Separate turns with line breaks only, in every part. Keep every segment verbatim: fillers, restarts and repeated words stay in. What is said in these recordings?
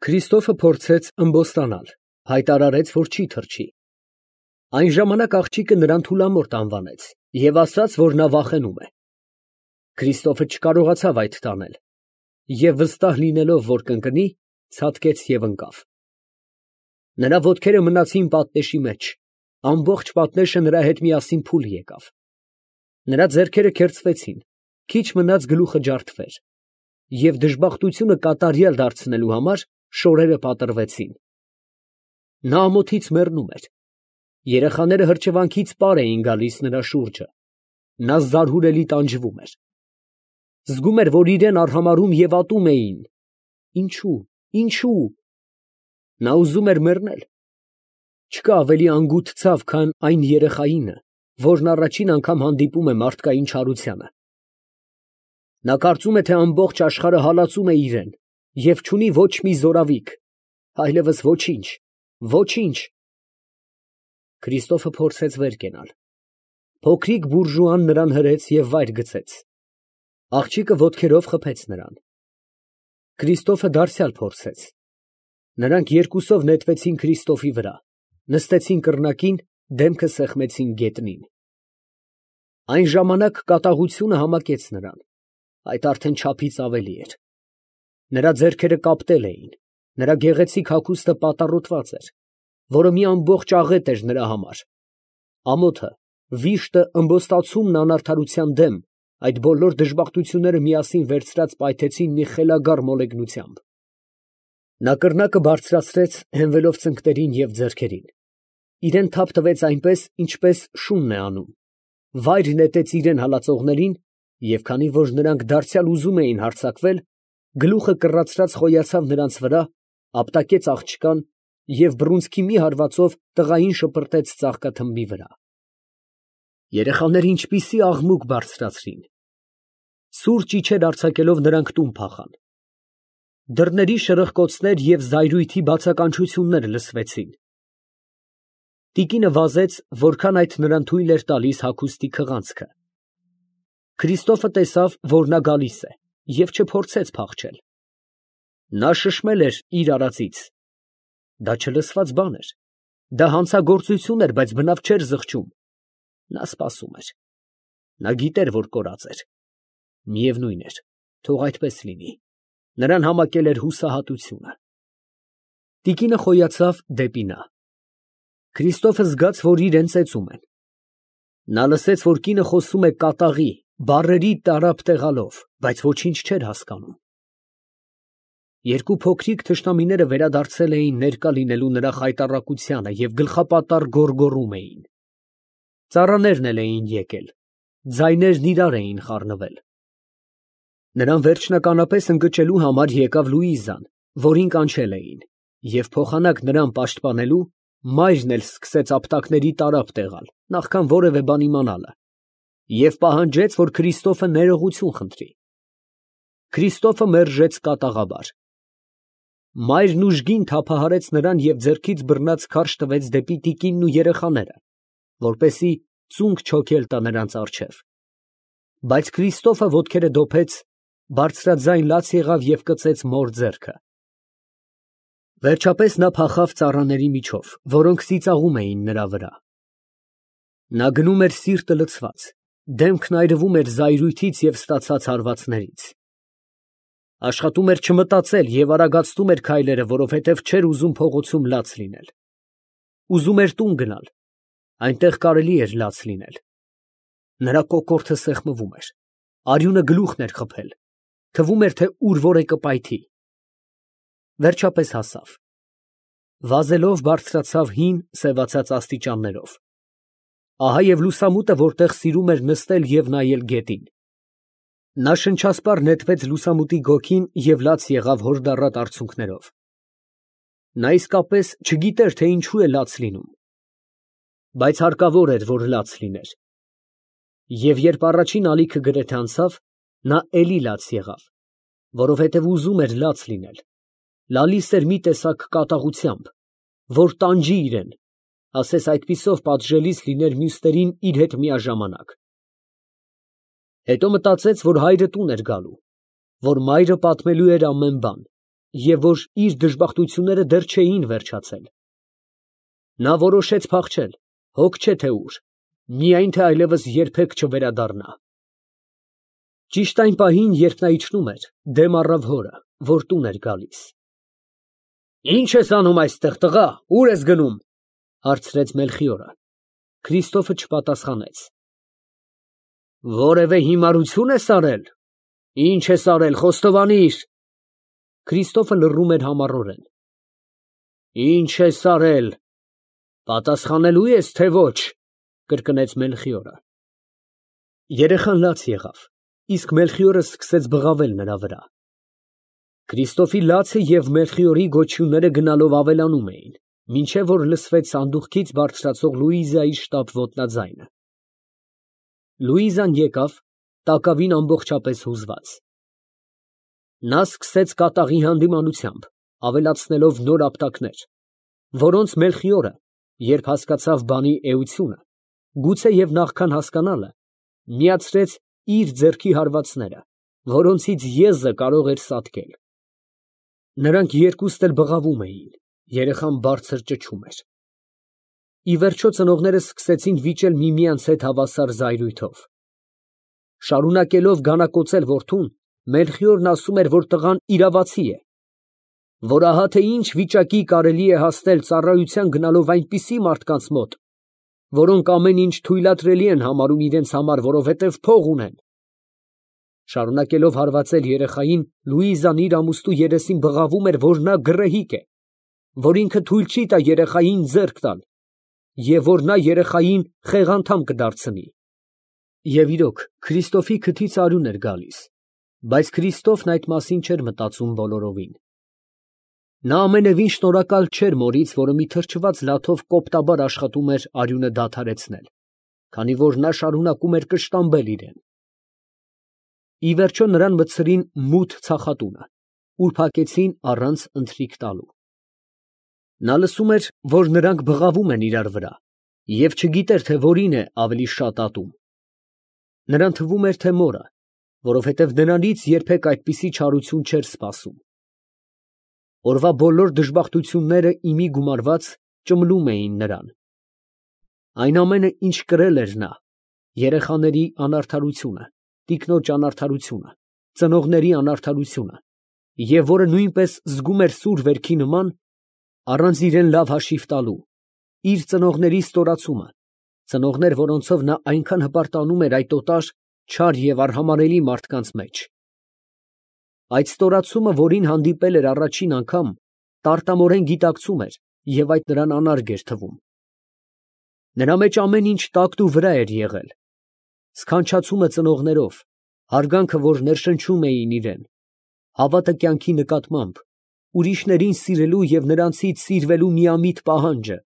Քրիստոֆը փորձեց ըմբոստանալ, հայտարարեց, որ չի թռչի։ Այն ժամանակ աղջիկը նրան թուլամորթ անվանեց և ասաց, որ նա վախենում է։ Քրիստոֆը չկարողացավ այդ տանել և, վստահ լինելով, որ կընկնի, ցատկեց և ընկավ։ Նրա ոտքերը մնացին պատնեշի մեջ, ամբողջ պատնեշը նրա հետ միասին փուլ եկավ։ Նրա ձեռքերը քերծվեցին, քիչ մնաց գլուխը ջարդվեր, և դժբախտությունը կատարյալ դարձնելու համար շորերը պատռվեցին։ Նա ամոթից մեռնում էր։ Երեխաները հրճվանքից պար էին գալիս նրա շուրջը։ Նա զարհուրելի տանջվում էր։ Զգում էր, որ իրան արհամարհում և ատում էին։ Ինչո՞ւ, ինչո՞ւ։ Նա ուզում էր մեռնել։ Չկա ավելի անգութ ցավ, քան այն երեխայինը, որն առաջին անգամ հանդիպում է մարդկային չարությանը։ Նա կարծում է, թե ամբողջ աշխարհը հալածում է իրան և չունի ոչ մի զորավիք, այլևս ոչինչ, ոչինչ։ Քրիստոֆը փորձեց վեր կենալ։ Փոքրիկ բուրժուան նրան հրեց և վայր գցեց։ Աղջիկը ոտքերով խփեց նրան։ Քրիստոֆը դարձյալ փորձեց։ Նրանք երկուսով նետվեցին Քրիստոֆի վրա, նստեցին կռնակին, դեմքը սեղմեցին գետնին։ Այն ժամանակ կատաղությունը համակեց նրան, այդ արդեն չափից ավելի էր։ Նրա ձեռքերը կապտել էին, նրա գեղեցիկ հագուստը պատառոտված էր, որը մի ամբողջ աղետ էր նրա համար։ Ամոթը, վիշտը, ըմբոստացումն անարդարության դեմ, այդ բոլոր դժբախտությունները միասին վերցրած պայթեցին մի խելագար մոլեգնությամբ։ Նա կռնակը բարձրացրեց, հենվելով ծնկներին և ձեռքերին։ Իրան թափ տվեց այնպես, ինչպես շունն է անում, վայր նետեց իրան հալածողներին, և քանի որ նրանք դարձյալ ուզում էին հարձակվել, գլուխը կռացրած խոյացավ նրանց վրա, ապտակեց աղջկան և բռունցքի մի հարվածով տղային շպրտեց ծաղկաթմբի վրա։ Երեխաները ինչպիսի աղմուկ բարձրացրին։ Սուրճ իջեր արձակելով նրանք տուն փախան։ Դռների շրխկոցներ և զայրույթի բացականչություններ լսվեցին։ Տիկինը վազեց, որքան այդ նրան թույլ էր տալիս հագուստի քղանցքը։ Քրիստոֆը տեսավ, որ նա գալիս է, և չփորձեց փախչել։ Նա շշմել էր իր արածից։ Դա չլսված բան էր։ Դա հանցագործություն էր, բայց բնավ չէր զղջում։ Նա սպասում էր։ Նա գիտեր, որ կորած էր։ Միևնույն էր, թող այդպես լինի։ Նրան համակել էր հուսահատությունը։ Տիկինը խոյացավ դեպի նա։ Քրիստոֆը զգաց, որ իրան ծեծում են։ Նա լսեց, որ կինը խոսում է կատաղի, բառերի տարափ տեղալով, բայց ոչինչ չէր հասկանում։ Երկու փոքրիկ թշնամիները վերադարձել էին ներկա լինելու նրա խայտառակությանը և գլխապատառ գոռգոռում էին։ Ծառաներն էլ էին եկել, ձայներն իրար էին խառնվել։ Նրան վերջնականապես ընկճելու համար եկավ Լուիզան, որին կանչել էին, և փոխանակ նրան պաշտպանելու, մայրն էլ սկսեց ապտակների տարափ տեղալ, նախքան որևէ բան իմանալը, և պահանջեց, որ Քրիստոֆը ներողություն խնդրի։ Քրիստոֆը մերժեց կատաղաբար։ Մայրն ուժգին թափահարեց նրան և ձեռքից բռնած քարշ տվեց դեպի տիկինն ու երեխաները, որպեսզի ծունկ չոքել տա նրանց առջև։ Բայց Քրիստոֆը ոտքերը դոփեց, բարձրաձայն լաց եղավ և կծեց մոր ձեռքը։ Վերջապես նա փախավ ծառաների միջով, որոնք ծիծաղում էին նրա վրա։ Նա գնում էր սիրտը լցված, դեմքն այրվում էր զայրույթից և ստացած հարվածներից։ Աշխատում էր չմտածել և արագացնում էր քայլերը, որովհետև չէր ուզում փողոցում լաց լինել։ Ուզում էր տուն գնալ, այնտեղ կարելի էր լաց լինել։ Նրա կոկորդը սեղմվում էր, արյունը գլուխն էր խփել, թվում էր, թե ուր որ է կպայթի։ Վերջապես հասավ։ Վազելով բարձրացավ հին, սևացած աստիճաններով։ Ահա և լուսամուտը, որտեղ սիրում էր նստել և նայել գետին։ Նա շնչասպառ նետվեց լուսամուտի գոգին և լաց եղավ հորդառատ արցունքներով։ Նա իսկապես չգիտեր, թե ինչու է լաց լինում, բայց հարկավոր էր, որ լաց լիներ։ Եվ երբ առաջին ալիքը գրեթե անցավ, նա էլի լաց եղավ, որովհետև ուզում էր լաց լինել, լալիս էր մի տեսակ կատաղությամբ, որ տանջի իրան, ասես այդպիսով պատժելիս լիներ մյուսներին իր հետ միաժամանակ։ Հետո մտածեց, որ հայրը տուն էր գալու, որ մայրը պատմելու էր ամեն բան, և որ իր դժբախտությունները դեռ չէին վերջացել։ Նա որոշեց փախչել, հոգ չէ թե ուր, միայն թե այլևս երբեք չվերադառնա։ Ճիշտ այն պահին, երբ նա իջնում էր, դեմ առավ հորը, որ տուն էր գալիս։ «Ի՞նչ ես անում այստեղ, տղա, ուր ես գնում» հարցրեց Մելխիորը։ Քրիստոֆը չպատասխանեց։ «Որևէ հիմարություն ես արել։ Ի՞նչ ես արել, խոստովանիր»։ Քրիստոֆը լռում էր համառորեն։ «Ի՞նչ ես արել, պատասխանելու ես, թե ոչ» կրկնեց Մելխիորը։ Երեխան լաց եղավ, իսկ Մելխիորը սկսեց բղավել նրա վրա։ Քրիստոֆի լացը և Մելխիորի գոչյունները գնալով ավելանում էին, մինչև որ լսվեց սանդուղքից բարձրացող Լուիզայի շտապ ոտնաձայնը։ Լուիզան եկավ, տակավին ամբողջապես հուզված։ Նա սկսեց կատաղի հանդիմանությամբ, ավելացնելով նոր ապտակներ, որոնց Մելխիորը, երբ հասկացավ բանի էությունը, գուցեև նախքան հասկանալը, միացրեց իր ձեռքի հարվածները, որոնցից եզը կարող էր սատկել։ Նրանք երկուստ էլ բղավում էին, երեխան բարձր ճչում էր։ Ի վերջո ծնողները սկսեցին վիճել միմյանց հետ հավասար զայրույթով։ Շարունակելով գանակոծել որդուն, Մելխիորն ասում էր, որ տղան իրավացի է, որ ահա թե ինչ վիճակի կարելի է հասնել ծառայության գնալով այնպիսի մարդկանց մոտ, որոնք ամեն ինչ թույլատրելի են համարում իրենց համար, որովհետև փող ունեն։ Շարունակելով հարվածել երեխային, Լուիզան իր ամուսնու երեսին բղավում էր, որ նա գռեհիկ է, որ ինքը թույլ չի տա երեխային ձեռք տալ, և որ նա երեխային խեղանդամ կդարձնի։ Եվ իրոք, Քրիստոֆի քթից արյուն էր գալիս, բայց Քրիստոֆն այդ մասին չէր մտածում բոլորովին։ Նա ամենևին շնորհակալ չէր մորից, որը մի թրջված լաթով կոպտաբար աշխատում էր արյունը դադարեցնել, քանի որ նա շարունակում էր կշտամբել իրեն։ Ի վերջո նրան մտցրին մութ ցախատունը, ուր փակեցին առանց ընթրիք տալու։ Նա լսում էր, որ նրանք բղավում են իրար վրա, և չգիտեր, թե որին է ավելի շատ ատում։ Նրան թվում էր, թե մորը, որովհետև նրանից երբեք այդպիսի չարություն չէր սպասում։ Օրվա բոլոր դժբախտությունները իմի գումարված ճմլում էին նրան։ Այն ամենը, ինչ կրել էր նա, երեխաների անարդարությունը, տիկնոջ անարդարությունը, ծնողների անարդարությունը, և որը նույնպես զգում էր սուր վերքի նման, առանց իրեն լավ հաշիվ տալու, իր ծնողների ստորացումը, ծնողներ, որոնցով նա այնքան հպարտանում էր այդ օտար, չար և արհամարհելի մարդկանց մեջ։ Այդ ստորացումը, որին հանդիպել էր առաջին անգամ, տարտամորեն գիտակցում էր և այդ նրան անարգ էր թվում։ Նրա մեջ ամեն ինչ տակտու վրա էր եղել, սքանչացումը ծնողներով, հարգանքը, որ ներշնչում էին իրեն, հավատը կյանքի նկատմամբ, ուրիշներին սիրելու և նրանցից սիրվելու միամիտ պահանջը,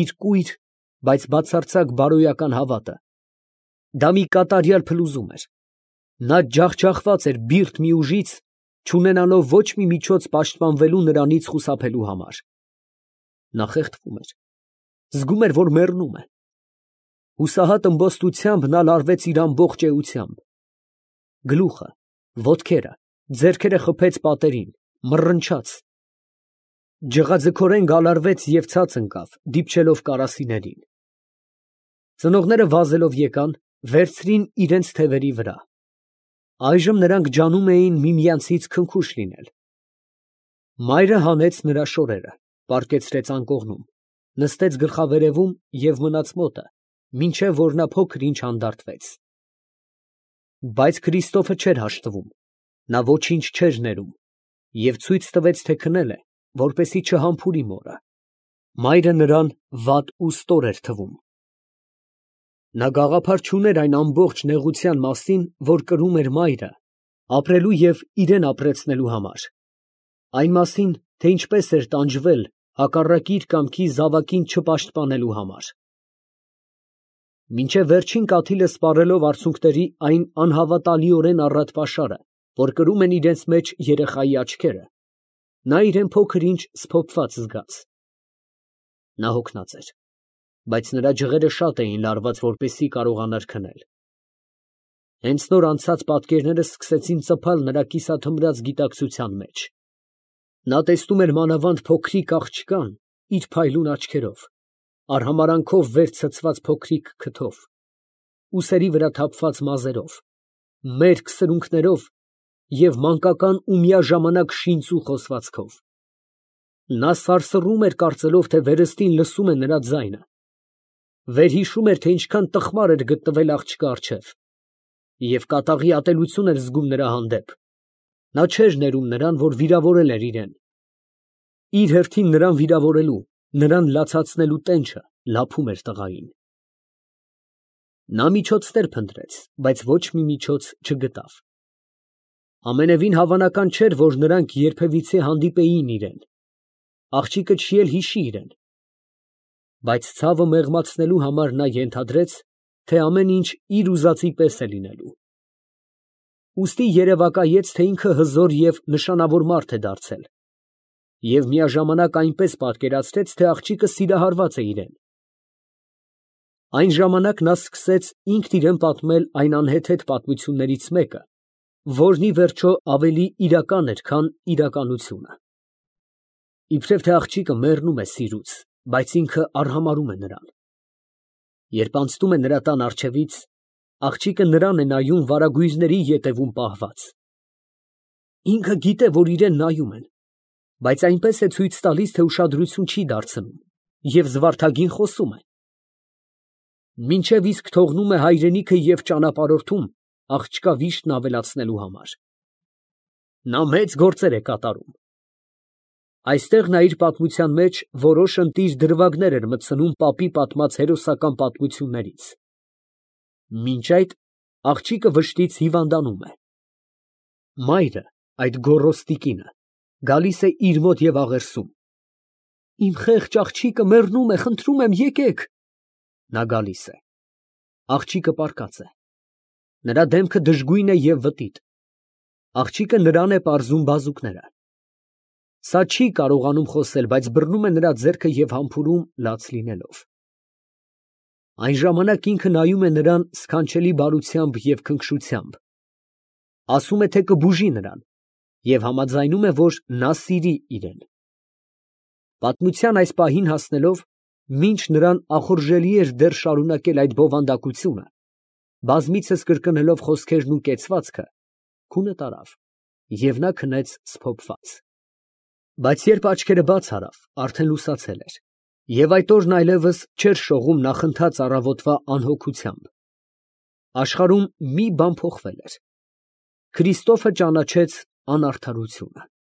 իր կույր, բայց բացարձակ բարոյական հավատը։ Դա մի կատարյալ փլուզում էր։ Նա ջախջախված էր բիրտ մի ուժից, չունենալով ոչ մի միջոց պաշտպանվելու նրանից խուսափելու համար։ Նա խեղդվում էր, զգում էր, որ մեռնում է։ Հուսահատ ըմբոստությամբ նա լարվեց իր ամբողջ էությամբ։ Գլուխը, ոտքերը, ձեռքերը խփեց պատերին, մռնչաց։ Ջղաձգորեն գալարվեց և ցած ընկավ, դիպչելով կարասիներին։ Ծնողները վազելով եկան, վերցրին իրենց թևերի վրա։ Այժմ նրանք ջանում էին միմյանցից քնքուշ լինել։ Մայրը հանեց նրա շորերը, պառկեցրեց անկողնում, նստեց գլխավերևում և մնաց մոտը, մինչև որ նա փոքր ինչ հանդարտվեց։ Բայց Քրիստոֆը չէր հաշտվում, նա ոչինչ չէր ներում և ցույց տվեց, թե քնել է, որպեսզի չհամբուրի մորը։ Մայրը նրան վատ ու ստոր էր թվում։ Նա գաղափար չուներ այն ամբողջ նեղության մասին, որ կրում էր մայրը, ապրելու և իրեն ապրեցնելու համար, այն մասին, թե ինչպես էր տանջվել հակառակ իր կամքի զավակին չպաշտպանելու համար։ Մինչև վերջին կաթիլը սպառելով արցունքների այն անհավատալիորեն առատ պաշարը, որ կրում են իրենց մեջ երեխայի աչքերը, նա իրեն փոքր ինչ սփոփված զգաց։ Նա հոգնած էր, բայց նրա ջղերը շատ էին լարված, որպեսզի կարողանար քնել։ Հենց նոր անցած պատկերները սկսեցին ծփալ նրա կիսաթմրած գիտակցության մեջ։ Նա տեսնում էր մանավանդ փոքրիկ աղջկան իր փայլուն աչքերով, արհամարանքով վեր ցցված փոքրիկ քթով, ուսերի վրա թափված մազերով, մերկ սրունքներով և մանկական ու միաժամանակ շինծու խոսվածքով։ Նա սարսռում էր, կարծելով, թե վերստին լսում է նրա ձայնը, վերհիշում էր, թե ինչքան տխմար էր գտնվել աղջկա առջև, և կատաղի ատելություն էր զգում նրա հանդեպ։ Նա չէր ներում նրան, որ վիրավորել էր իրեն։ Իր հերթին նրան վիրավորելու, նրան լացացնելու տենչը լափում էր տղային։ Նա միջոցներ փնտրեց, բայց ոչ մի միջոց չգտավ։ Ամենևին հավանական չէր, որ նրանք երբևիցե հանդիպեին իրեն։ Աղջիկը չի էլ հիշի իրեն։ Բայց ցավը մեղմացնելու համար նա ենթադրեց, թե ամեն ինչ իր ուզածի պես է լինելու։ Ուստի երևակայեց, թե ինքը հզոր և նշանավոր մարդ է դարձել, և միաժամանակ այնպես պատկերացրեց, թե աղջիկը սիրահարված է իրեն։ Այն ժամանակ նա սկսեց ինքն իրան պատմել այն անհեթեթ պատմություններից մեկը, որն ի վերջո ավելի իրական էր, քան իրականությունը։ Իբրև թե աղջիկը մեռնում է սիրուց, բայց ինքը արհամարհում է նրան։ Երբ անցնում է նրա տան առջևից, աղջիկը նրան է նայում վարագույրների ետևում պահված։ Ինքը գիտե, որ իրան նայում են, բայց այնպես է ցույց տալիս, թե ուշադրություն չի դարձնում և զվարթագին խոսում է։ Մինչև իսկ թողնում է հայրենիքը և ճանապարհորդում աղջկա վիշտն ավելացնելու համար։ Նա մեծ գործեր է կատարում։ Այստեղ նա իր պատմության մեջ որոշ ընտիր դրվագներ էր մտցնում պապի պատմած հերոսական պատմություններից։ Մինչ այդ աղջիկը վշտից հիվանդանում է։ Մայրը, այդ գոռոզ տիկինը, գալիս է իր մոտ և աղերսում. «Իմ խեղճ աղջիկը մեռնում է, խնդրում եմ, եկեք»։ Նա գալիս է։ Աղջիկը պառկած է։ Նրա դեմքը դժգույն է և վտիտ։ Աղջիկը նրան է պարզում բազուկները։ Սա չի կարողանում խոսել, բայց բռնում է նրա ձեռքը և համբուրում լաց լինելով։ Այն ժամանակ ինքը նայում է նրան սքանչելի բարությամբ և քնքշությամբ, ասում է, թե կբուժի նրան և համաձայնում է, որ նա սիրի իրեն։ Պատմության այս պահին հասնելով, մինչ նրան ախորժելի էր դեռ շարունակել այդ բովանդակությունը, բազմիցս կրկնելով խոսքերն ու կեցվածքը, քունը տարավ, և նա քնեց սփոփված։ Բայց երբ աչքերը բաց արավ, արդեն լուսացել էր, և այդ օրն այլևս չէր շողում նախընթաց առավոտվա անհոգությամբ։ Աշխարհում մի բան փոխվել էր. Քրիստոֆը ճանաչեց անարդարությունը։